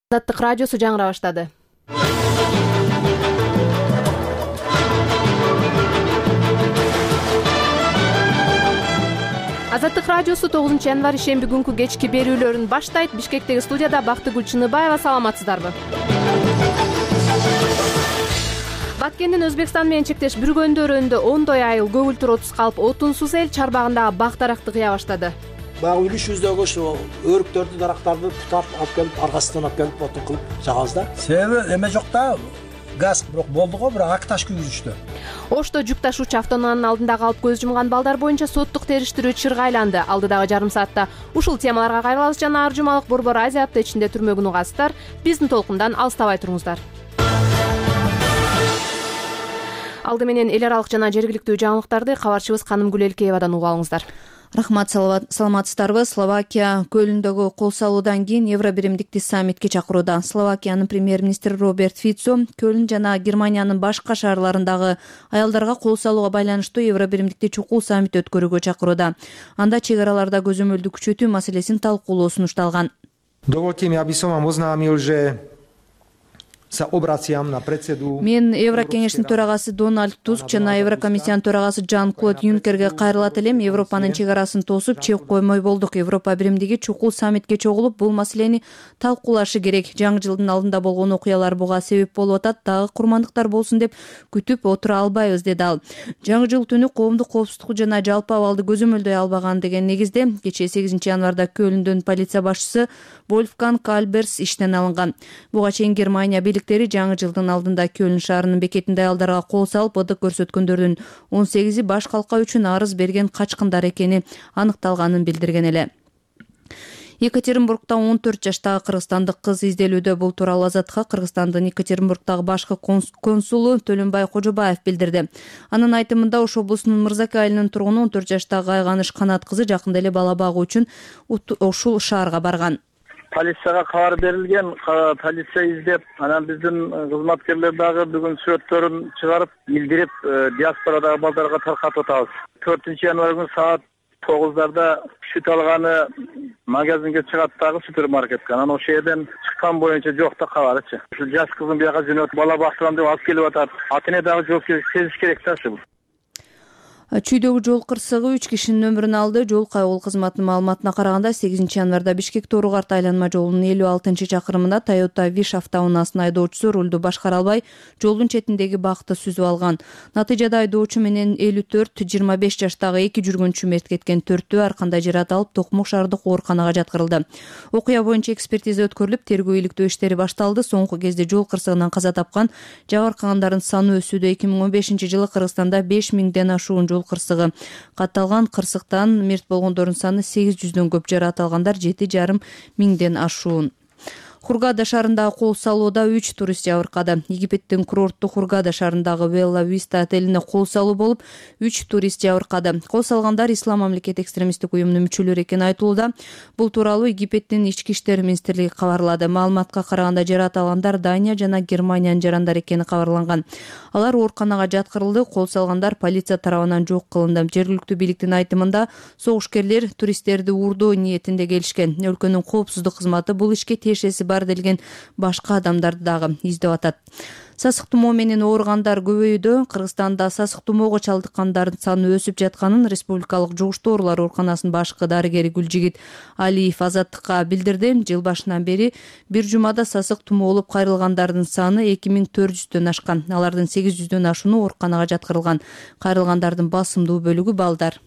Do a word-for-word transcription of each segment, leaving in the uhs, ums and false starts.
Азаттык радиосу жаңыра баштады. Азаттык радиосу тогузунчу январь шемби күнкү кечки берүүлөрүн баштайт. Бишкектеги студияда Бактыгүл Чыныбаева. Саламатсыздарбы? Баткендин Өзбекстан менен чектеш бүргөндөрүндө ондой айыл көгүлтүр отуз калып, отунсуз эл чарбагындагы бак даракты кыя баштады. Баягы үлүшүбүздөгү ушу өрүктөрдү, дарактарды тутап алып келип, аркасынан алып келип отун кылып жагабыз да. Себеби эме жок да, газ бирок болду го, бирок ак таш күйгүзүштү. Ошто жүк ташуучу автоунаанын алдында калып көз жумган балдар боюнча соттук териштирүү чырга айланды. Алдыдагы жарым саатта ушул темаларга кайрылабыз жана ар жумалык Борбор Азия апта ичинде түрмөгүн угасыздар. Биздин толкундан алыстабай туруңуздар. Алды менен эл аралык жана жергиликтүү жаңылыктарды кабарчыбыз Канымгүл Элкеевадан угуп алыңыздар. Рахмат, саламатсыздарбы? Словакия көлүндөгү кол салуудан кийин Евробиримдикти саммитке чакырууда. Словакиянын премьер-министри Роберт Фицо Көлн жана Германиянын башка шаарларындагы аялдарга кол салууга байланыштуу Евробиримдикти чукул саммит өткөрүүгө чакырууда. Анда чек араларда көзөмөлдү күчөтүү маселесин талкуулоо сунушталган. Доволте ми, аби сам вам ознамил, же Мен Еврокеңештин төрагасы Дональд Туск жана Еврокомиссиянын төрагасы Жан-Клод Юнкерге кайрылат элем. Европанын чек арасын тосуп, чек коймой болдук. Европа биримдиги чукул саммитке чогулуп, бул маселени талкуулашы керек. Жаңы жылдын алдында болгон окуялар буга себеп болуп атат. Дагы курмандыктар болсун деп күтүп отура албайбыз, деди ал. Жаңы жыл түнү коомдук коопсуздук жана жалпы абалды көзөмөлдөй албаган деген негизде кечээ сегизинчи январда Көлүндөн полиция башчысы Вольфганг Кальберс иштен алынган. Буга чейин Германия бийликтери жаңы жылдын алдында Көлн шаарынын бекетинде аялдарга кол салып, ыдык көрсөткөндөрдүн он сегизи баш калка үчүн арыз берген качкындар экени аныкталганын билдирген эле. Екатеринбургда он төрт жаштагы кыргызстандык кыз изделүүдө. Бул тууралуу Азатка Кыргызстандын Екатеринбургдагы башкы консулу Төлөнбай Кожобаев билдирди. Анын айтымында Ош облусунун Мырзаке айылынын тургуну он төрт жаштагы Айганыш Канат кызы жакында эле бала багуу үчүн ушул шаарга барган. Полицияга кабар берилген, полиция издеп, анан биздин кызматкерлер дагы бүгүн сүрөттөрүн чыгарып, билдирип, диаспорадагы балдарга таркатып атабыз. төртүнчү январь күнү саат тогуздарда сүт алганы магазинге чыгат дагы супермаркетке. Анан ошол жерден чыккан боюнча жок да кабарычы. Ушул жаш кызын бияка жөнөтүп, бала бактырам деп алып келип атат. Ата эне дагы жооп сезиш керек да ушул. Чүйдөгү жол кырсыгы үч кишинин өмүрүн алды. Жол кайгыл кызматынын маалыматына караганда сегизинчи январда Бишкек Тооругарт айланма жолунун элүү алтынчы чакырымында Toyota Wish автоунаасынын айдоочусу рулду башкара албай жолдун четиндеги бакты сүзүп алган. Натыйжада айдоочу менен элүү төрт жыйырма беш жаштагы эки жүргүнчү мерт кеткен. Төртөө ар кандай жарат алып Токмок шаардык ооруканага жаткырылды. Окуя боюнча экспертиза өткөрүлүп, тергөө иликтөө иштери башталды. Соңку кезде жол кырсыгынан каза тапкан жабыркагандардын саны өсүүдө. эки миң он бешинчи жылы Кыргызстанда беш миңден ашуун жол кырсыгы катталган. Кырсыктан мерт болгондордун саны сегиз жүздөн көп, жарат алгандар жети жарым миңден ашуун. Хургада шаарындагы кол салууда үч турист жабыркады. Египеттин курорттук Хургада шаарындагы Белла Виста отелине кол салуу болуп, үч турист жабыркады. Кол салгандар Ислам мамлекети экстремисттик уюмунун мүчөлөрү экени айтылууда. Бул тууралуу Египеттин ички иштер министрлиги кабарлады. Маалыматка караганда жарат алгандар Дания жана Германиянын жарандары экени кабарланган. Алар ооруканага жаткырылды. Кол салгандар полиция тарабынан жок кылынды. Жергиликтүү бийликтин айтымында согушкерлер туристтерди уурдоо ниетинде келишкен. Өлкөнүн коопсуздук кызматы бул ишке тиешеси бар делген башка адамдарды дагы издеп атат. Сасык тумоо менен ооругандар көбөйүүдө. Кыргызстанда сасык тумоого чалдыккандардын саны өсүп жатканын Республикалык жугуштуу оорулар ооруканасынын башкы дарыгери Гүлжигит Алиев Азаттыкка билдирди. Жыл башынан бери бир жумада сасык тумоолуп кайрылгандардын саны эки миң төрт жүздөн ашкан. Алардын сегиз жүздөн ашууну ооруканага жаткырылган. Кайрылгандардын басымдуу бөлүгү балдар.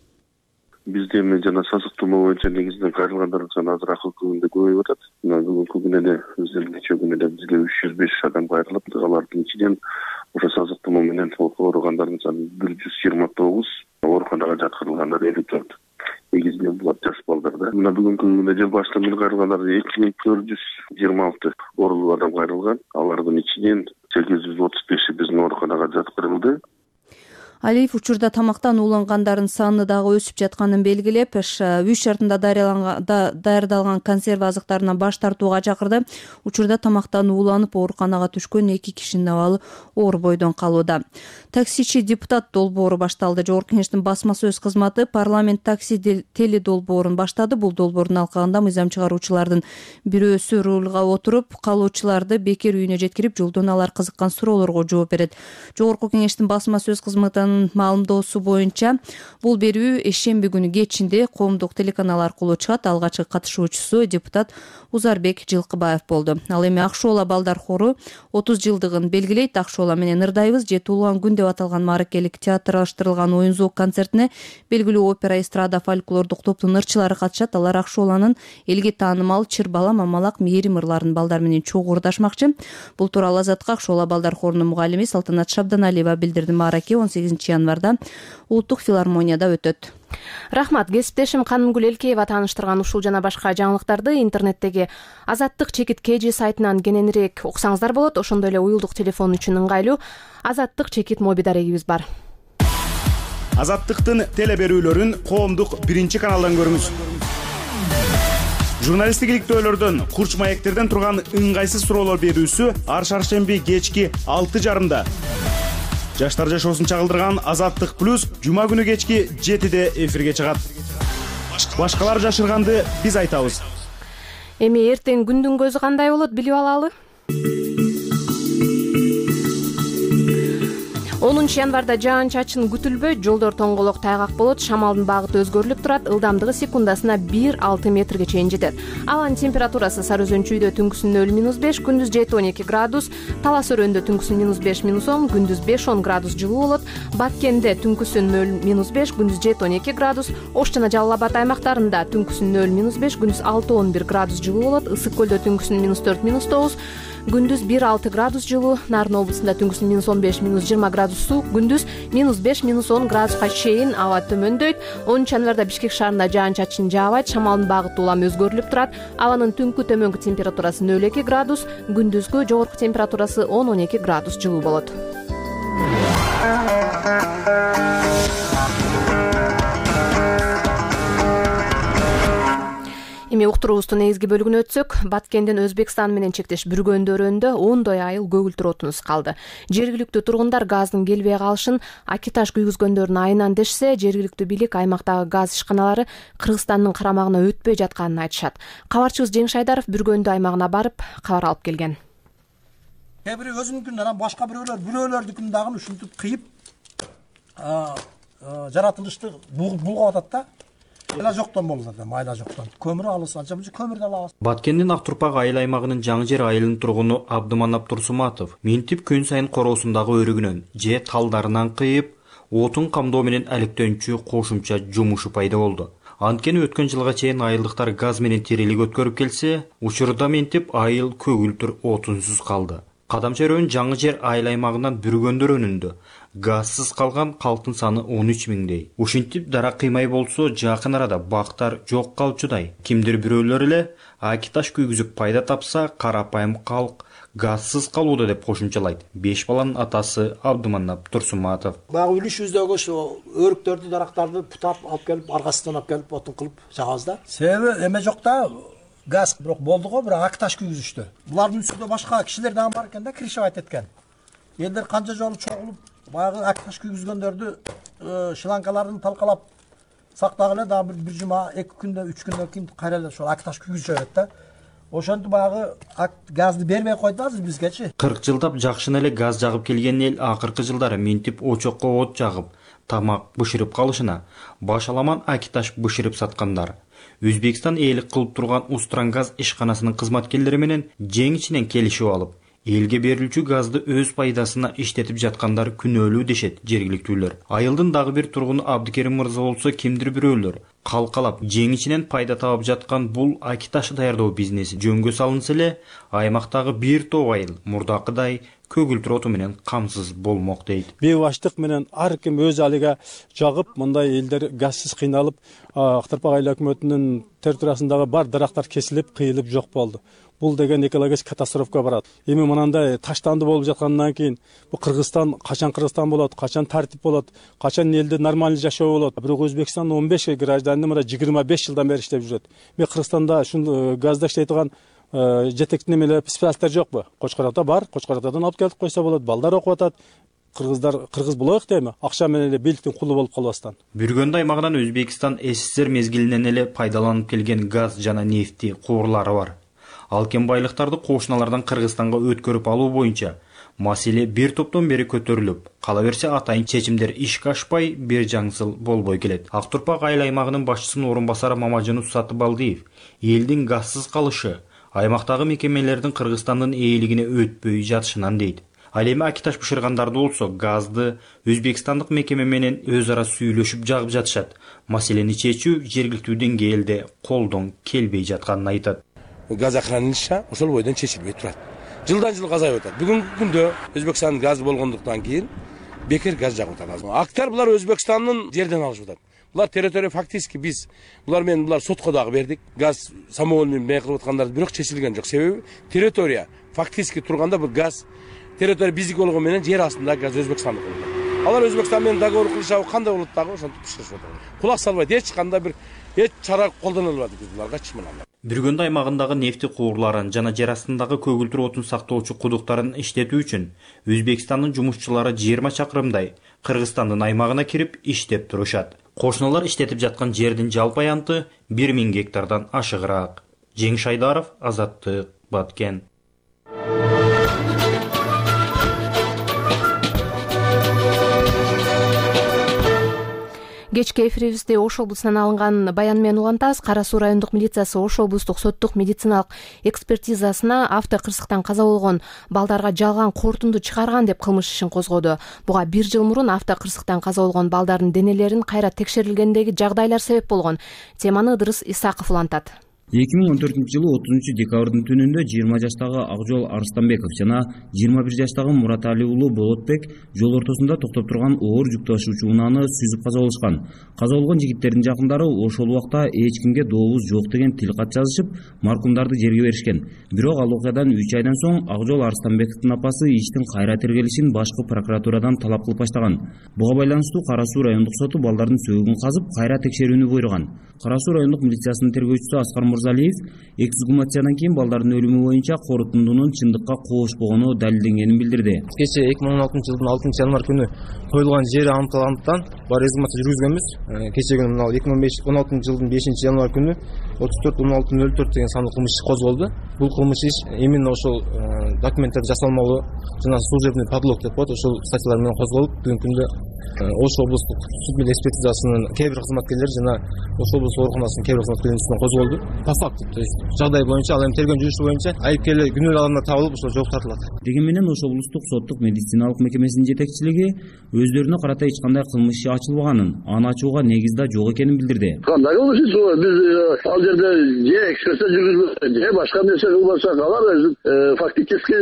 Бизде эми жана сасык тумоо боюнча негизинен кайрылгандардын саны азыраак күндө көбөйүп атат. Мына бүгүнкү күнү эле биздин нече күнү эле бизге үч жүз беш адам кайрылып, алардын ичинен ошо сасык тумоо менен ооругандардын саны бир жүз жыйырма тогуз, ооруканага жаткырылгандар элүү төрт. Негизинен булар жаш балдар да. Мына бүгүнкү күндө жыл башынан бери кайрылгандар эки миң төрт жүз жыйырма алты оорулуу адам кайрылган. Алардын ичинен сегиз жүз отуз беши биздин ооруканага жаткырылды. Алиев учурда тамактан уулангандардын саны дагы өсүп жатканын белгилеп, үй шартында даярдалган консерва азыктарынан баш тартууга чакырды. Учурда тамактан ууланып ооруканага түшкөн эки кишинин абалы оор бойдон калууда. Таксичи депутат долбоору башталды. Жогорку Кеңештин басма сөз кызматы парламент такси теле долбоорун баштады. Бул долбоордун алкагында мыйзам чыгаруучулардын бирөөсү рулга отуруп, калуучуларды бекер үйүнө жеткирип, жолдон алар кызыккан суроолорго жооп берет. Жогорку Кеңештин басма сөз кызматынын маалымдоосу боюнча, бул берүү ишемби күнү кечинде коомдук телеканал аркылуу чыгат. Алгачкы катышуучусу депутат Узарбек Жылкыбаев болду. Ал эми Ак шоола балдар хору отуз жылдыгын белгилейт. Ак шоола менен ырдайбыз же туулган күн деп аталган мааракелик театрлаштырылган оюн зоок концертине белгилүү опера, эстрада, фольклордук топтун ырчылары катышат. Алар Ак шооланын элге таанымал Чыр бала, Мамалак, Мээрим ырларын балдар менен чогуу ырдашмакчы. Бул тууралуу Азатка Ак шоола балдар хорунун мугалими Салтанат Шабданалиева билдирди. Маараке он сегизинчи январда Улуттук филармонияда өтөт. Рахмат. Кесиптешим Канымгүл Элкеева тааныштырган ушул жана башка жаңылыктарды интернеттеги Азаттык чекит kg сайтынан кененирээк уксаңыздар болот. Ошондой эле уюлдук телефон үчүн ыңгайлуу Азаттык чекит моби дарегибиз бар. Азаттыктын теле берүүлөрүн коомдук биринчи каналдан көрүңүз. Журналисттик иликтөөлөрдөн, курч маектерден турган ыңгайсыз суроолор берүүсү ар шаршемби кечки алты жарымда. Жаштар жашоосун чагылдырган Азаттык плюс жума күнү кечки жетиде эфирге чыгат. Башкалар жашырганды биз айтабыз. Эми эртең күндүн көзү кандай болот билип алалы. онунчу январда жаан-чачын күтүлбөйт, жолдор тоңголок тайгак болот, шамалдын багыты өзгөрүлүп турат, ылдамдыгы секундасына бир алты метрге чейин жетет. Абанын температурасы Сары Өзөнчүйдө түнкүсүн нөл минус беш, күндүз жети он эки градус, Талас Өрөндө түнкүсүн минус беш минус он, күндүз беш он градус жылуу болот, Баткенде түнкүсүн нөл минус беш, күндүз жети он эки градус, Ош жана Жалал Абад аймактарында түнкүсүн нөл минус беш, күндүз алты он бир градус жылуу болот, Ысык көлдө түнкүсүн минус төрт минус тогуз, күндүз бир алты градус жылуу, Нарын облусунда түнкүсүн минус он беш минус жыйырма градус суук, күндүз минус беш минус он градуска чейин аба төмөндөйт. онунчу январда Бишкек шаарында жаан-чачын жаабайт, шамалдын багыты улам өзгөрүлүп турат. Абанын түнкү төмөнкү температурасы нөл эки градус, күндүзгү жогорку температурасы он он эки градус жылуу болот. Эми уктуруубуздун негизги бөлүгүнө өтсөк, Баткенден Өзбекстан менен чектеш бүргөндө өрөндө ондой айыл көгүлтүр отунсуз калды. Жергиликтүү тургундар газдын келбей калышын акиташ күйгүзгөндөрүн айынан дешсе, жергиликтүү бийлик аймактагы газ ишканалары Кыргызстандын карамагына өтпөй жатканын айтышат. Кабарчыбыз Жеңиш Айдаров бүргөндө аймагына барып, кабар алып келген. Кээ бири өзүнүкүн, анан башка бирөөлөр бирөөлөрдүкүн дагы ушинтип кыйып жаратылышты булгап атат да. Майла жоктон болот да, майла жоктон. Көмүр алыс, анча мынча көмүр да алабыз. Баткендин Ак Турпак айыл аймагынын Жаңы жер айылынын тургуну Абдыманап Турсуматов минтип күн сайын короосундагы өрүгүнөн же талдарынан кыйып, отун камдоо менен алектенүүчү кошумча жумушу пайда болду. Анткени өткөн жылга чейин айылдыктар газ менен тирелик өткөрүп келсе, учурда минтип айыл көгүлтүр отунсуз калды. Кадамча өрөөнүн Жаңы жер айыл аймагынан бүргөндө өрөөнүндө газсыз калган калктын саны он үч миңдей. Ушинтип дара кыймай болсо, жакын арада бактар жок калчудай. Кимдир бирөөлөр эле акиташ күйгүзүп пайда тапса, карапайым калк газсыз калууда деп кошумчалайт. Беш баланын атасы Абдыманап Турсуматов. Багы үлүшүбүздөгү ошо өрүктөрдү, дарактарды путап алып келип, аркасынан алып келип отун кылып жагабыз да. Себеби эме жок да. Газ бирок болду го, бирок акиташ күйгүзүштү. Булардын үстүндө башка кишилер дагы бар экен да, кришевать эткен. Элдер канча жолу чогулуп, баягы акиташ күйгүзгөндөрдү шланкаларын талкалап сактагыле, дагы бир жума, эки күндө, үч күндөн кийин кайра эле ошол акиташ күйгүзүшөт берет да. Ошентип баягы газды бербей койду азыр бизгечи. кырк жылдап жакшына эле газ жагып келген эл акыркы жылдары минтип очокко от жагып, тамак бышырып калышына башаламан акиташ бышырып саткандар. Өзбекстанээлик кылып турган Устрангаз ишканасынын кызматкерлери менен жеңичинен келишип алып, элге берилүүчү газды өз пайдасына иштетип жаткандар күнөөлүү дешет жергиликтүүлөр. Айылдын дагы бир тургуну Абдыкерим мырза болсо, кимдир бирөөлөр калкалап жеңичинен пайда таап жаткан бул акиташ даярдоо бизнеси жөнгө салынса эле, аймактагы бир топ айыл мурдакыдай көгүлтүр оту менен камсыз болмок дейт. Бейбаштык менен ар ким өз алыга жагып, мындай элдер газсыз кыйналып, Ак Турпак айыл өкмөтүнүн территориясындагы бар дарактар кесилип, кыйылып жок болду. бул деген экологический катастрофка барат. Эми мынандай таштанды болуп жаткандан кийин бул Кыргызстан качан Кыргызстан болот, качан тартип болот, качан элде нормальный жашоо болот. Бирок Өзбекстандын он беш гражданы мына жыйырма беш жылдан бери иштеп жүрөт. Мен Кыргызстанда ушул газда иштей турган жетектин эмелер специалисттер жокпу? Кочкорокто бар, Кочкороктордон алып келип койсо болот. Балдар окуп атат. Кыргыздар кыргыз болоюк дейми? Акча менен эле бийликтин кулу болуп калбастан. Бүргөндү аймагынан Өзбекстан СССР мезгилинен эле пайдаланып келген газ жана нефти куурлары бар. Ал кен байлыктарды кошуналардан Кыргызстанга өткөрүп алуу боюнча маселе бир топтон бери көтөрүлүп, кала берсе атайын чечимдер ишке ашпай, бир жаңсыл болбой келет. Ак Турпак айыл аймагынын башчысынын орун басары Мамажанов Сатыбалдиев элдин газсыз калышы аймактагы мекемелердин Кыргызстандын ээлигине өтпөй жатышынан дейт. Ал эми Акиташ бышыргандарды болсо газды өзбекстандык мекеме менен өз ара сүйлөшүп жагып жатышат. Маселени чечүү жергиликтүү деңгээлде колдон келбей жатканын айтат. Газохранилище ошол бойдон чечилбей турат. Жылдан жыл газ айып атат. Бүгүнкү күндө Өзбекстандын газы болгондуктан кийин бекер газ жагып атат. Актар булар Өзбекстандын жерден алышып атат. Булар территория фактически биз булар менен булар сотко дагы бердик. Газ самоольный мей кылып аткандарды бирок чечилген жок. Себеби территория фактически турганда бул газ территория биздики болгону менен жер астындагы газ Өзбекстандык болгон. Алар Өзбекстан менен договор кылышабы кандай болот дагы ошентип иштешип атат. Кулак салбайт, эч кандай бир эч чара колдоно албадык биз буларга чымынан. Бүргөндү аймагындагы нефти куурларын жана жер астындагы көгүлтүр отун сактоочу кудуктарын иштетүү үчүн Өзбекстандын жумушчулары жыйырма чакырымдай Кыргызстандын аймагына кирип иштеп турушат. Кошуналар иштетип жаткан жердин жалпы аянты бир миң гектардан ашыгыраак. Жеңиш Айдаров, Азаттык, Баткен. Кечки эфирибизде Ош облусунан алынган баян менен улантабыз. Кара Суу райондук милициясы Ош облустук соттук медициналык экспертизасына автокырсыктан каза болгон балдарга жалган кортунду чыгарган деп кылмыш ишин козгоду. Буга бир жыл мурун автокырсыктан каза болгон балдардын денелерин кайра текшерилгендеги жагдайлар себеп болгон. Теманы Ыдырыс Исаков улантат. эки миң он төртүнчү жылы отузунчу декабрдын түнүндө жыйырма жаштагы Акжол Арстанбеков жана жыйырма бир жаштагы Муратали уулу Болотбек жол ортосунда токтоп турган оор жүк ташуучу унааны сүзүп каза болушкан. Каза болгон жигиттердин жакындары ошол убакта эч кимге дообуз жок деген тил кат жазышып, маркумдарды жерге беришкен. Бирок ал окуядан үч айдан соң Акжол Арстанбековдун апасы иштин кайра тергелишин башкы прокуратурадан талап кылып баштаган. Буга байланыштуу Кара Суу райондук соту балдардын сөөгүн казып, кайра текшерүүнү буйруган. Кара Суу райондук милициясынын тергөөчүсү Аскар Мурзалиев эксгумациядан кийин балдардын өлүмү боюнча корутундунун чындыкка кошпогону далилденгенин билдирди. Кечээ эки миң он алтынчы жылдын алтынчы январь күнү коюлган жери аныкталгандыктан бар эксгумация жүргүзгөнбүз. Кечээ күнү мына эки миң он алтынчы жылдын бешинчи январь күнү отуз төрт он алты нөл төрт деген сандуу кылмыш иши козголду. Бул кылмыш иш именно ошол документтер жасалмалуу жана служебный подлог деп коет, ошол статьялар менен козголуп, бүгүнкү күндө Ош облустук суд менен экспертизасынын кээ бир кызматкерлери жана Ош облустук ооруканасынын кээ бир кызматкерлеринин үстүнөн козголду. По факту, то есть жагдай боюнча ал эми тергөө жүрүшү боюнча айыпкерлер күнөөлүү адамдар табылып, ошол жооп тартылат. Деген менен Ош облустук соттук медициналык мекемесинин жетекчилиги өздөрүнө карата эч кандай кылмыш иши ачылбаганын, аны ачууга негиз да жок экенин билдирди. Кандай болуш иш бул? Биз ал жерде же экспертиза жүргүзбөйт, же башка нерсе кылбасак, алар өзү фактически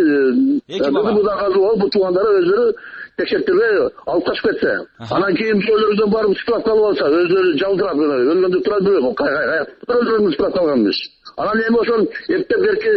бул туугандары өзүрү текшертирбей алып качып кетсе, анан кийин өзүлөрүдөн барып справка алып алса, өзүлөрү жалдырап өлгөндү турат бирөө өзүлөрүн справка алганбыз. Анан эми ошол эптеп берки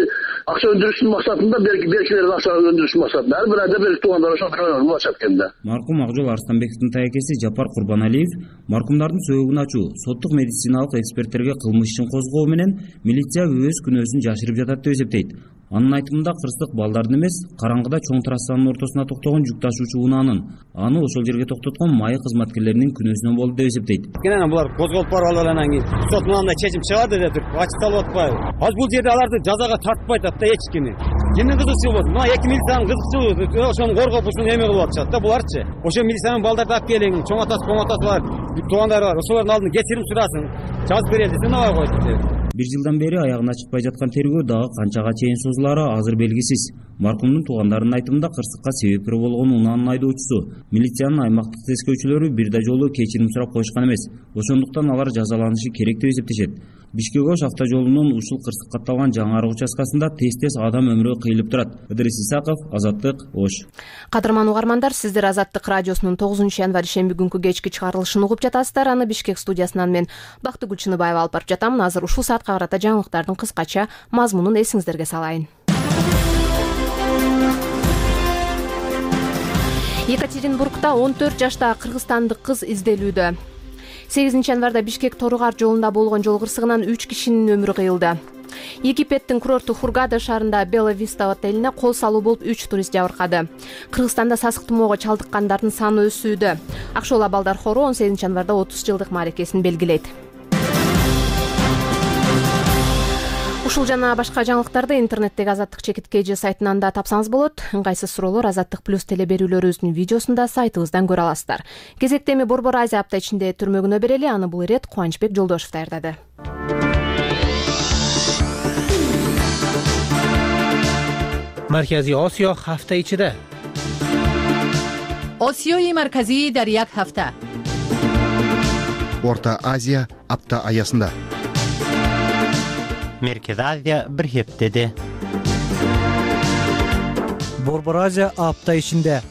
акча өндүрүштүн максатында берки беркилердин акча өндүрүштүн максатында ар бир айда берки туугандар ошол болушат экенде. Маркум Акжол Арстанбековдун таекеси Жапар Курбаналиев маркумдардын сөөгүн ачуу, соттук медициналык эксперттерге кылмыш ишин козгоо менен милиция өз күнөөсүн жашырып жатат деп эсептейт. Анын айтымында кырсык балдардын эмес, караңгыда чоң трассанын ортосуна токтогон жүк ташуучу унаанын, аны ошол жерге токтоткон майы кызматкерлеринин күнөөсүнөн болду деп эсептейт. Анан булар козголуп барып алып анан кийин сот мындай чечим чыгарды деп туруп ачыкталып атпайбы? Азыр бул жерде аларды жазага тартпай атат да эч кими. Кимдин кызыкчылыгы болот? Мына эки милициянын кызыкчылыгы ошону коргоп ушуну эме кылып атышат да буларчы. Ошо милициянын балдарды алып келиң, чоң атасы, чоң атасы бар, туугандары бар. Ошолордун алдына кечирим сурасын, жазып берели десе набай койду деп. Бир жылдан бери аягына чыкпай жаткан тергөө дагы канчага чейин созулаары азыр белгисиз. Маркумдун туугандарынын айтымында кырсыкка себепкер болгон унаанын айдоочусу, милициянын аймактык тескөөчүлөрү бир да жолу кечирим сурап коюшкан эмес. Ошондуктан алар жазаланышы керек деп эсептешет. Бишкек Ош автожолунун ушул кырсык катталган жаңы арык участкасында тез-тез адам өмүрү кыйылып турат. Ыдырис Исаков, Азаттык, Ош. Кадырман угармандар, сиздер Азаттык радиосунун тогузунчу январь шемби күнкү кечки чыгарылышын угуп жатасыздар. Аны Бишкек студиясынан мен Бактыгүл Чыныбаева алып барып жатам. Азыр ушул саатка карата жаңылыктардын кыскача мазмунун эсиңиздерге салайын. Екатеринбургда он төрт жаштагы кыргызстандык кыз изделүүдө. сегизинчи январда Бишкек Торугар жолунда болгон жол кырсыгынан үч кишинин өмүрү кыйылды. Египеттин курорту Хургада шаарында Бела Виста отелине кол салуу болуп үч турист жабыркады. Кыргызстанда сасык тумоого чалдыккандардын саны өсүүдө. Акшола балдар хору он сегизинчи январда отуз жылдык мааракесин белгилейт. Ушул жана башка жаңылыктарды интернеттеги Азаттык чекит kg сайтынан да тапсаңыз болот. Ыңгайсыз суроолор Азаттык плюс телеберүүлөрүбүздүн видеосунда сайтыбыздан көрө аласыздар. Кезекте эми Борбор Азия апта ичинде түрмөгүнө берели. Аны бул ирет Кубанычбек Жолдошев даярдады. Маркази Осиё ҳафта ичида. Осиёи марказӣ дар як ҳафта. Орта Азия апта аясында. Меркези Азия бир хептеде. Борбор Азия апта ичинде.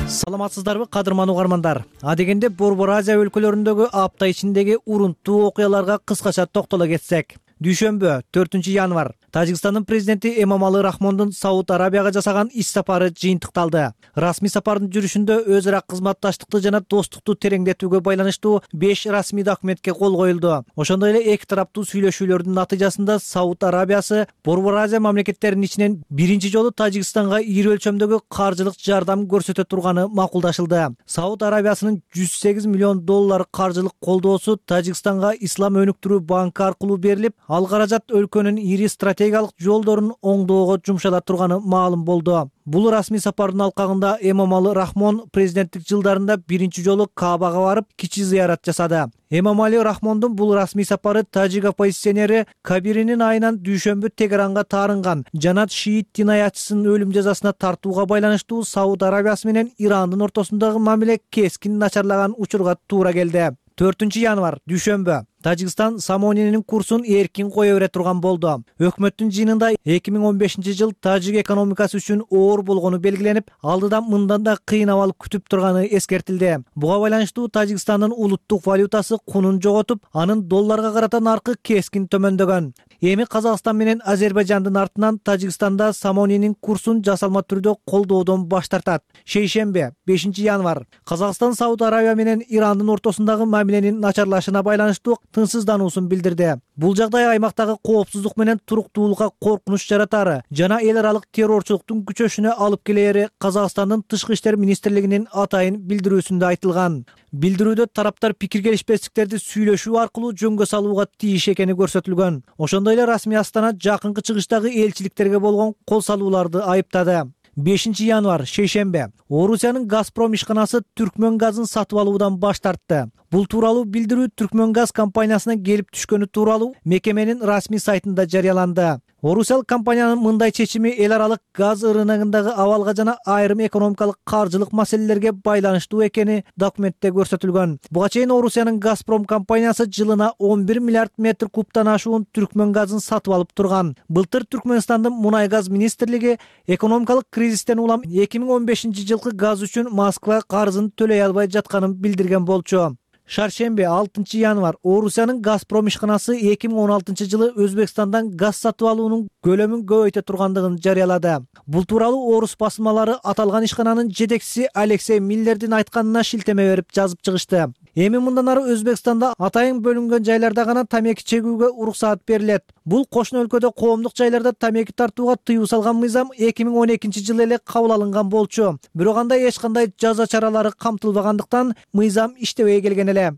Саламатсыздарбы кадырман угармандар. Адегенде Борбор Азия өлкөлөрүндөгү апта ичиндеги урунттуу окуяларга кыскача токтоло кетсек. Дүйшөмбү төртүнчү январь Тажикстандын президенти Эмомали Рахмондун Сауд Арабияга жасаган иш сапары жыйынтыкталды. Расмий сапардын жүрүшүндө өз ара кызматташтыкты жана достукту тереңдетүүгө байланыштуу беш расмий документке кол коюлду. Ошондой эле эки тараптуу сүйлөшүүлөрдүн натыйжасында Сауд Арабиясы Борбор Азия мамлекеттеринин ичинен биринчи жолу Тажикстанга ири өлчөмдөгү каржылык жардам көрсөтө турганы макулдашылды. Сауд Арабиясынын жүз сегиз миллион доллар каржылык колдоосу Тажикстанга Ислам өнүктүрүү банкы аркылуу берилип, ал каражат өлкөнүн ири стратегиялык жолдорун оңдоого жумшала турганы маалым болду. Бул расмий сапардын алкагында Эмомали Рахмон президенттик жылдарында биринчи жолу Каабага барып, кичи зыярат жасады. Эмомали Рахмондун бул расмий сапары тажик оппозиционери Кабиринин айынан дүйшөмбү Тегеранга таарынган жанат шиит дин аятчысынын өлүм жазасына тартууга байланыштуу Сауд Арабиясы менен Ирандын ортосундагы мамиле кескин начарлаган учурга туура келди. төртүнчү январь дүйшөмбү Тажикстан самонинин курсун эркин кое бере турган болду. Өкмөттүн жыйынында эки миң он бешинчи жыл тажик экономикасы үчүн оор болгону белгиленип, алдыдан мындан да кыйын абал күтүп турганы эскертилди. Буга байланыштуу Тажикстандын улуттук валютасы кунун жоготуп, анын долларга карата наркы кескин төмөндөгөн. Эми Казакстан менен Азербайжандын артынан Тажикстанда самонинин курсун жасалма түрдө колдоодон баш тартат. Шейшембе бешинчи январь Казакстан Сауд Арабия менен Ирандын ортосундагы мамиленин начарлашына байланыштуу тынчсыздануусун билдирди. Бул жагдай аймактагы коопсуздук менен туруктуулукка коркунуч жаратары жана эл аралык террорчулуктун күчөшүнө алып келери Казакстандын тышкы иштер министрлигинин атайын билдирүүсүндө айтылган. Билдирүүдө тараптар пикир келишпестиктерди сүйлөшүү аркылуу жөнгө салууга тийиш экени көрсөтүлгөн. Ошондой эле расмий Астана жакынкы чыгыштагы элчиликтерге болгон кол салууларды айыптады. бешинчи январь шейшембе Орусиянын Газпром ишканасы Түркмөн газын сатып алуудан баш тартты. Бул тууралуу билдирүү Түркмөн газ компаниясына келип түшкөнү тууралуу мекеменин расмий сайтында жарыяланды. Орусиялык компаниянын мындай чечими эл аралык газ рыногундагы абалга жана айрым экономикалык каржылык маселелерге байланыштуу экени документте көрсөтүлгөн. Буга чейин Орусиянын Газпром компаниясы жылына он бир миллиард метр кубтан ашуун Түркмөн газын сатып алып турган. Былтыр Түркмөнстандын мунай газ министрлиги экономикалык кризистен улам эки миң он бешинчи жылкы газ үчүн Москва карызын төлөй албай жатканын билдирген болчу. Шаршембе алтынчы январь Орусиянын Газпром ишканасы эки миң он алтынчы жылы Өзбекстандан газ сатып алуунун көлөмүн көбөйтө тургандыгын жарыялады. Бул тууралуу орус басылмалары аталган ишкананын жетекчиси Алексей Миллердин айтканына шилтеме берип жазып чыгышты. Эми мындан ары Өзбекстанда атайын бөлүнгөн жайларда гана тамеки чегүүгө уруксаат берилет. Бул кошуна өлкөдө коомдук жайларда тамеки тартууга тыюу салган мыйзам эки миң он экинчи жылы эле кабыл алынган болчу. Бирок анда эч кандай жаза чаралары камтылбагандыктан мыйзам иштебей келген эле.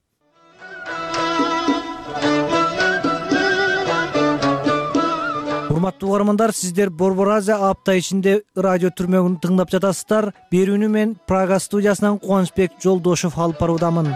Урматтуу угармандар, сиздер Борбор Азия апта ичинде радио түрмөгүн тыңдап жатасыздар. Берүүнү мен Прага студиясынан Кубанычбек Жолдошев алып баруудамын.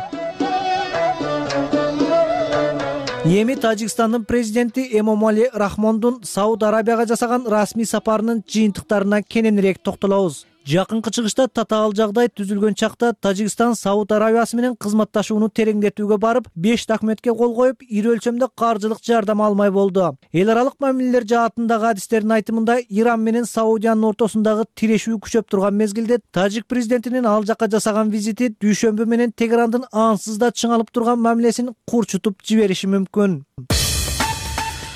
Эми Тажикстандын президенти Эмомали Рахмондун Сауд Арабияга жасаган расмий сапарынын жыйынтыктарына кененирээк токтолобуз. Жакынкы чыгышта татаал жагдай түзүлгөн чакта Тажикстан Сауд Арабиясы менен кызматташууну тереңдетүүгө барып, беш документке кол коюп, ири өлчөмдө каржылык жардам алмай болду. Эл аралык мамилелер жаатындагы адистердин айтымында, Иран менен Саудиянын ортосундагы тирешүү күчөп турган мезгилде Тажик президентинин ал жакка жасаган визити дүйшөмбү менен Тегерандын ансыз да чыңалып турган мамилесин курчутуп жибериши мүмкүн.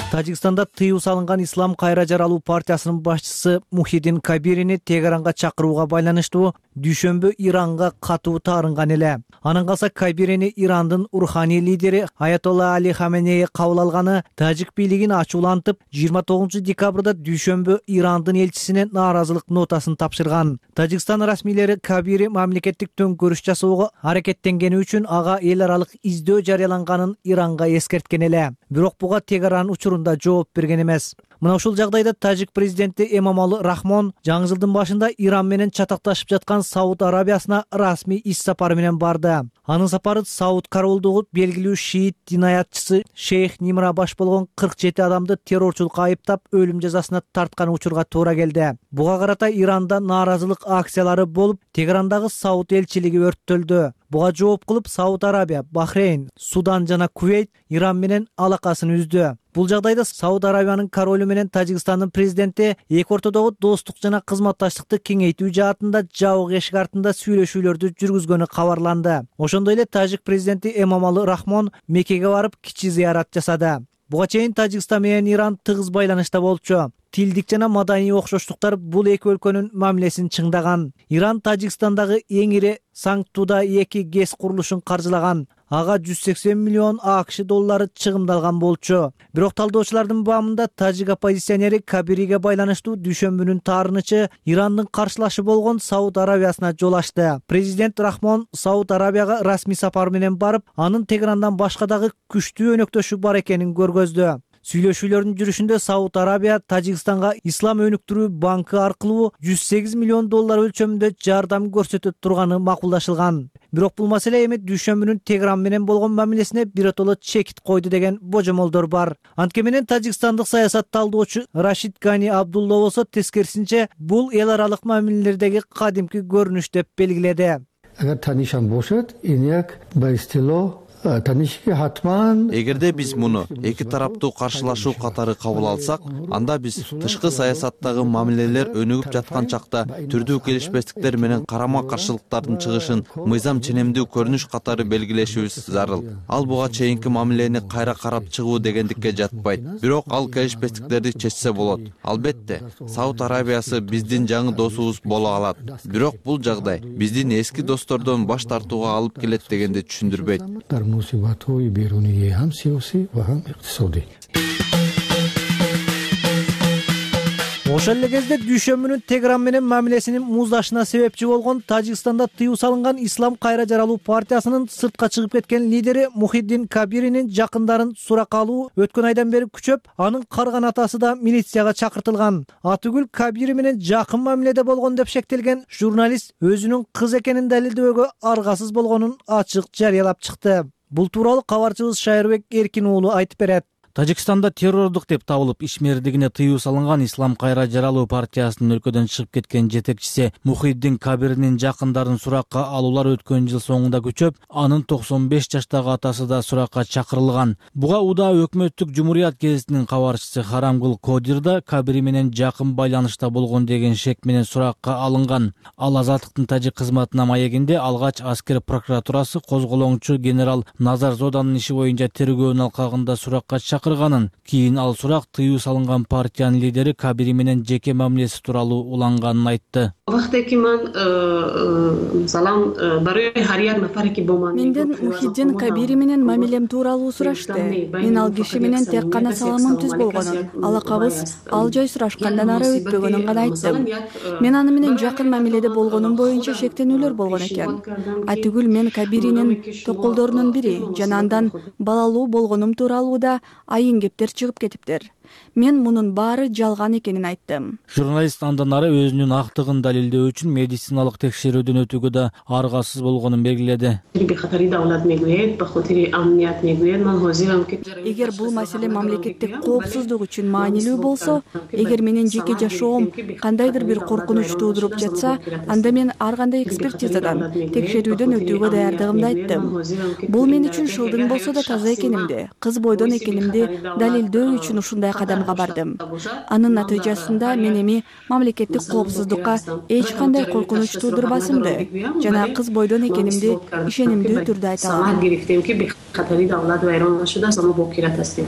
Тажикстанда тыюу салынган Ислам кайра жаралуу партиясынын башчысы Мухиддин Кабирини Тегеранга чакырууга байланыштуу дүйшөмбү Иранга катуу таарынган эле. Анан калса Кабирини Ирандын руханий лидери Аятолла Али Хаменеи кабыл алганы тажик бийлигин ачуулантып, жыйырма тогузунчу декабрда дүйшөмбү Ирандын элчисине нааразылык нотасын тапшырган. Тажикстан расмийлери Кабири мамлекеттик төңкөрүш жасоого аракеттенгени үчүн ага эл аралык издөө жарыяланганын Иранга эскерткен эле. Бирок буга Тегеран учурунда жооп берген эмес. Мына ушул жагдайда тажик президенти Эмомали Рахмон жаңы жылдын башында Иран менен чатакташып жаткан Сауд Арабиясына расмий иш сапары менен барды. Анын сапары Сауд королдугу белгилүү шиит динаятчысы Шейх Нимра баш болгон кырк жети адамды террорчулукка айыптап, өлүм жазасына тарткан учурга туура келди. Буга карата Иранда нааразылык акциялары болуп, Тегерандагы Сауд элчилиги өрттөлдү. Буга жооп кылып Сауд Арабия, Бахрейн, Судан жана Кувейт Иран менен алакасын үздү. Бул жагдайда Сауд Арабиянын королу менен Тажикстандын президенти эки ортодогу достук жана кызматташтыкты кеңейтүү жаатында жабык эшик артында сүйлөшүүлөрдү жүргүзгөнү кабарланды. Ошондой эле тажик президенти Эмомали Рахмон Меккеге барып кичи зыярат жасады. Буга чейин Тажикстан менен Иран тыгыз байланышта болчу. Тилдик жана маданий окшоштуктар бул эки өлкөнүн мамилесин чыңдаган. Иран Тажикстандагы эң ири Саңтуда эки ГЭС курулушун каржылаган. Ага жүз сексен миллион АКШ доллары чыгымдалган болчу. Бирок талдоочулардын баамында тажик оппозиционери Кабириге байланыштуу дүйшөмбүнүн таарынычы Ирандын каршылашы болгон Сауд Арабиясына жол ачты. Президент Рахмон Сауд Арабияга расмий сапар менен барып, анын Тегерандан башка дагы күчтүү өнөктөшү бар экенин көргөздү. Сүйлөшүүлөрдүн жүрүшүндө Сауд Арабия Тажикстанга Ислам өнүктүрүү банкы аркылуу жүз сегиз миллион доллар өлчөмүндө жардам көрсөтө турганы макулдашылган. Бирок бул маселе эми дүйшөмбүнүн Тегеран менен болгон мамилесине биротоло чекит койду деген божомолдор бар. Антке менен тажикстандык саясат талдоочу Рашид Гани Абдулла болсо тескерисинче бул эл аралык мамилелердеги кадимки көрүнүш деп белгиледи. Агар танишам бошот, эняк байстило Эгерде биз муну эки тараптуу каршылашуу катары кабыл алсак, анда биз тышкы саясаттагы мамилелер өнүгүп жаткан чакта түрдүү келишпестиктер менен карама-каршылыктардын чыгышын мыйзам ченемдүү көрүнүш катары белгилешибиз зарыл. Ал буга чейинки мамилени кайра карап чыгуу дегендикке жатпайт. Бирок ал келишпестиктерди чечсе болот. Албетте, Сауд Арабиясы биздин жаңы досубуз боло алат. Бирок бул жагдай биздин эски достордон баш тартууга алып келет дегенди түшүндүрбөйт. мусибатҳои берунии ҳам сиёсӣ ва ҳам иқтисодӣ. Ошол эле кезде дүйшөмбүнүн Тегеран менен мамилесинин муздашына себепчи болгон Тажикстанда тыюу салынган Ислам кайра жаралуу партиясынын сыртка чыгып кеткен лидери Мухиддин Кабиринин жакындарын суракка алуу өткөн айдан бери күчөп, анын карган атасы да милицияга чакыртылган. Атүгүл Кабири менен жакын мамиледе болгон деп шектелген журналист өзүнүн кыз экенин далилдөөгө аргасыз болгонун ачык жарыялап чыкты. Бул тууралуу кабарчыбыз Шайырбек Эркин уулу айтып берет. Тажикстанда террордук деп табылып ишмердигине тыюу салынган Ислам кайра жаралуу партиясынын өлкөдөн чыгып кеткен жетекчиси Мухиддин Кабиринин жакындарын суракка алуулар өткөн жыл соңунда күчөп, анын токсон беш жаштагы атасы да суракка чакырылган. Буга Уда өкмөттүк Жумурiyat гезитинин кабарчысы Харамгул Кодир да Кабири менен жакын байланышта болгон деген шек менен суракка алынган. Ал Азаттыктын тажик кызматына маегинде алгач аскер прокуратурасы козголоңчу генерал Назар Зоданын иши боюнча тергөөнүн алкагында суракка чакырганын, кийин ал сурак тыюу салынган партиянын лидери Кабири менен жеке мамилеси тууралуу уланганын айтты. Менден Мухиддин Кабири менен мамилем тууралуу сурашты. Мен ал киши менен тек гана саламым түз болгонун, алакабыз ал жай сурашкандан ары өтпөгөнүн гана айттым. Мен аны менен жакын мамиледе болгонум боюнча шектенүүлөр болгон экен. Атүгүл мен Кабиринин токолдорунун бири жана андан балалуу болгонум тууралуу да айын кептер чыгып кетиптир. Мен мунун баары жалган экенин айттым. Журналист андан ары өзүнүн актыгын далилдөө үчүн медициналык текшерүүдөн өтүүгө да аргасыз болгонун белгиледи. Эгер бул маселе мамлекеттик коопсуздук үчүн маанилүү болсо, эгер менин жеке жашоом кандайдыр бир коркунуч туудуруп жатса, анда мен ар кандай экспертизадан, текшерүүдөн өтүүгө даярдыгымды айттым. Бул мен үчүн шылдың болсо да таза экенимди, кыз бойдон экенимди далилдөө үчүн ушундай кадамга бардым. Анын натыйжасында мен эми мамлекеттик коопсуздукка эч кандай коркунуч туудурбасымды жана кыз бойдон экенимди ишенимдүү түрдө айта алам.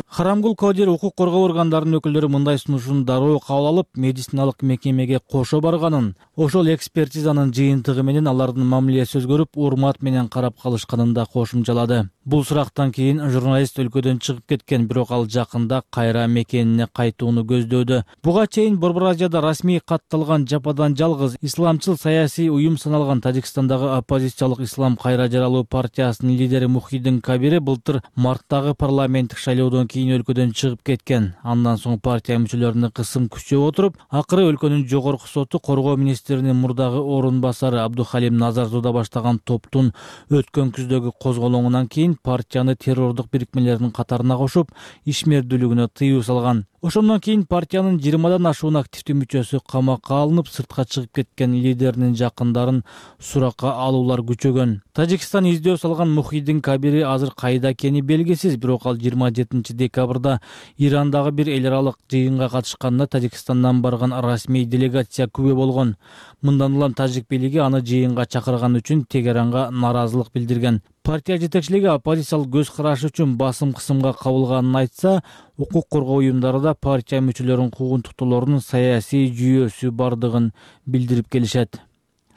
Харамгул Кодир укук коргоо органдарынын өкүлдөрү мындай сунушун дароо кабыл алып, медициналык мекемеге кошо барганын, ошол экспертизанын жыйынтыгы менен алардын мамилеси өзгөрүп, урмат менен карап калышканын да кошумчалады. Бул сурактан кийин журналист өлкөдөн чыгып кеткен, бирок ал жакында кайра мекенине кайтууну көздөөдө. Буга чейин Борбор Азияда расмий катталган жападан жалгыз исламчыл саясий уюм саналган Тажикстандагы оппозициялык Ислам кайра жаралуу партиясынын лидери Мухиддин Кабири былтыр марттагы парламенттик шайлоодон кийин өлкөдөн чыгып кеткен. Андан соң партия мүчөлөрүнө кысым күчөп отуруп, акыры өлкөнүн жогорку соту коргоо министринин мурдагы орун басары Абдухалим Назарзода баштаган топтун өткөн күздөгү козголоңунан кийин партияны террордук бирикмелердин катарына кошуп, ишмердүүлүгүнө тыюу салган. Ошондон кийин партиянын жыйырмадан ашуун активдүү мүчөсү камакка алынып, сыртка чыгып кеткен лидеринин жакындарын суракка алуулар күчөгөн. Тажикстан издөө салган Мухиддин Кабири азыр кайда экени белгисиз, бирок ал жыйырма жетинчи декабрда Ирандагы бир эл аралык жыйынга катышканда Тажикстандан барган расмий делегация күбө болгон. Мындан улам тажик бийлиги аны жыйынга чакырган үчүн Тегеранга наразылык билдирген. Партия жетекчилиги оппозициялык көз карашы үчүн басым кысымга кабылганын айтса, укук коргоо уюмдары да партия мүчөлөрүнүн куугунтуктоолорунун саясий жүйөсү бардыгын билдирип келишет.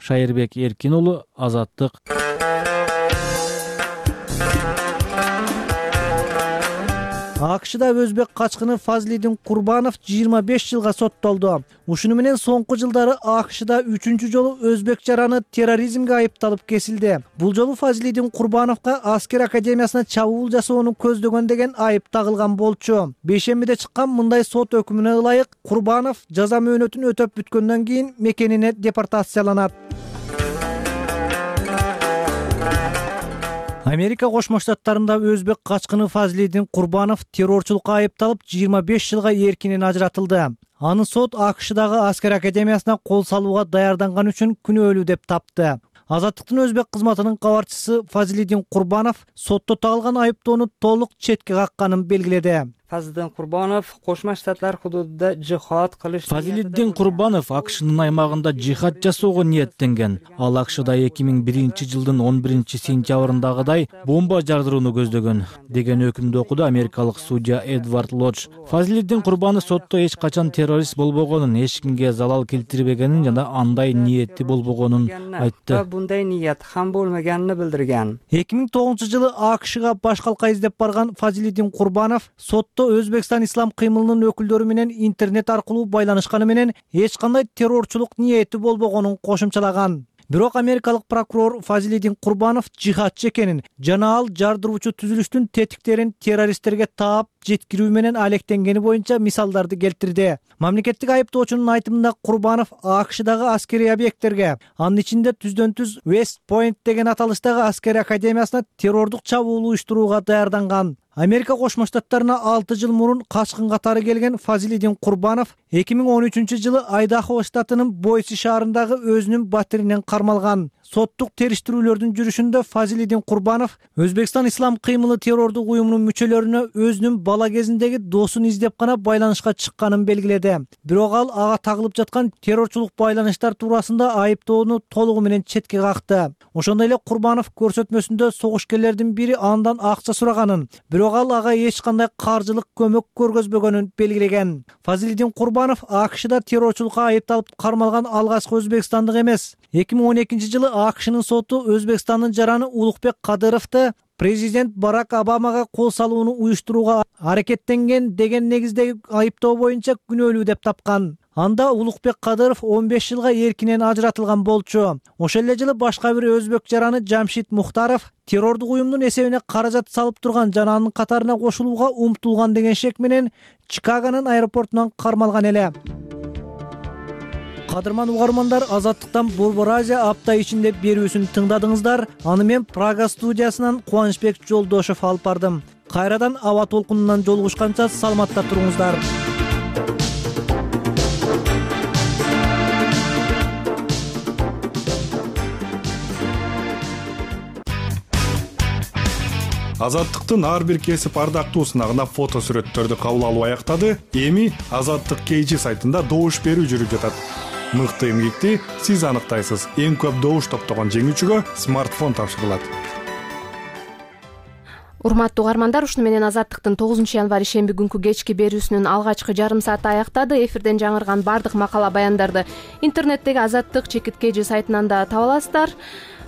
Шайырбек Эркин уулу, Азаттык. АКШда өзбек качкыны Фазлидин Курбанов жыйырма беш жылга соттолду. Ушуну менен соңку жылдары АКШда үчүнчү жолу өзбек жараны терроризмге айыпталып кесилди. Бул жолу Фазлидин Курбановго аскер академиясына чабуул жасоону көздөгөн деген айып тагылган болчу. Бейшембиде чыккан мындай сот өкүмүнө ылайык Курбанов жаза мөөнөтүн өтөп бүткөндөн кийин мекенине депортацияланат. Америка Кошмо Штаттарында өзбек качкыны Фазлидин Курбанов террорчулукка айыпталып жыйырма беш жылга эркинен ажыратылды. Аны сот АКШдагы аскер академиясына кол салууга даярданган үчүн күнөөлүү деп тапты. Азаттыктын өзбек кызматынын кабарчысы Фазлидин Курбанов сотто тагылган айыптоону толук четке какканын белгиледи. Фазлидин Курбанов Кошмо Штаттар худудунда жихад кылыш. Фазлидин Курбанов АКШнын аймагында жихад жасоого ниеттенген. Ал АКШда эки миң биринчи жылдын он биринчи сентябрындагыдай бомба жардырууну көздөгөн деген өкүмдү окуду америкалык судья Эдвард Лодж. Фазлидин Курбанов сотто эч качан террорист болбогонун, эч кимге залал келтирбегенин жана андай ниети болбогонун айтты. Bunday niyat ham bo'lmaganini bildirgan. эки миң тогузунчу жылы АКШга баш калка издеп барган Фазлидин Курбанов сотто Өзбекстан ислам кыймылынын өкүлдөрү менен интернет аркылуу байланышканы менен эч кандай террорчулук ниети болбогонун кошумчалаган. Бирок америкалык прокурор Фазлидин Курбанов жихадчы экенин жана ал жардыруучу түзүлүштүн тетиктерин террористтерге таап жеткирүү менен алектенгени боюнча мисалдарды келтирди. Мамлекеттик айыптоочунун айтымында Курбанов АКШдагы аскерий объекттерге, анын ичинде түздөн түз West Point деген аталыштагы аскер академиясына террордук чабуул уюштурууга даярданган. Америка Кошмо Штаттарына алты жыл мурун качкын катары келген Фазлидин Курбанов эки миң он үчүнчү жылы Айдахо штатынын Бойси шаарындагы өзүнүн батиринен кармалган. Соттук териштирүүлөрдүн жүрүшүндө Фазлидин Курбанов Өзбекстан ислам кыймылы террордук уюмунун мүчөлөрүнө өзүнүн бала кезиндеги досун издеп гана байланышка чыкканын белгиледи. Бирок ал ага тагылып жаткан террорчулук байланыштар туурасында айыптоону толугу менен четке какты. Ошондой эле Курбанов көрсөтмөсүндө согушкерлердин бири андан акча сураганын, бирок ал ага эч кандай каржылык көмөк көргөзбөгөнүн белгилеген. Фазлидин Курбанов АКШда террорчулукка айыпталып кармалган алгачкы өзбекстандык эмес. эки миң он экинчи жылы АКШнын соту Өзбекстандын жараны Улукбек Кадыровду президент Барак Обамага кол салууну уюштурууга аракеттенген деген негиздеги айыптоо боюнча күнөөлүү деп тапкан. Анда Улукбек Кадыров он беш жылга эркинен ажыратылган болчу. Ошол эле жылы башка бир өзбек жараны Жамшит Мухтаров террордук уюмдун эсебине каражат салып турган жананын катарына кошулууга умтулган деген шек менен Чикагонун аэропортунан кармалган эле. Кадырман угармандар, Азаттыктан Борбор Азия апта ичинде берүүсүн тыңдадыңыздар. Аны мен Прага студиясынан Кубанычбек Жолдошов алып бардым. Кайрадан аба толкунунан жолугушканча саламатта туруңуздар. Азаттыктын ар бир кесип ардактуусуна фото сүрөттөрдү кабыл алуу аяктады. Эми Азаттык кей жи сайтында добуш берүү жүрүп жатат. Мыкты эмгекти сиз аныктайсыз. Эң көп добуш топтогон жеңүүчүгө смартфон тапшырылат. Урматтуу угармандар, ушуну менен Азаттыктын тогузунчу январь ишемби күнкү кечки берүүсүнүн алгачкы жарым сааты аяктады. Эфирден жаңырган бардык макала баяндарды интернеттеги Азаттык чекит кей жи сайтынан да таба аласыздар.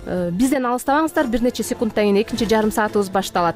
Бизден алыстабаңыздар, бир нече секундтан кийин экинчи жарым саатыбыз башталат.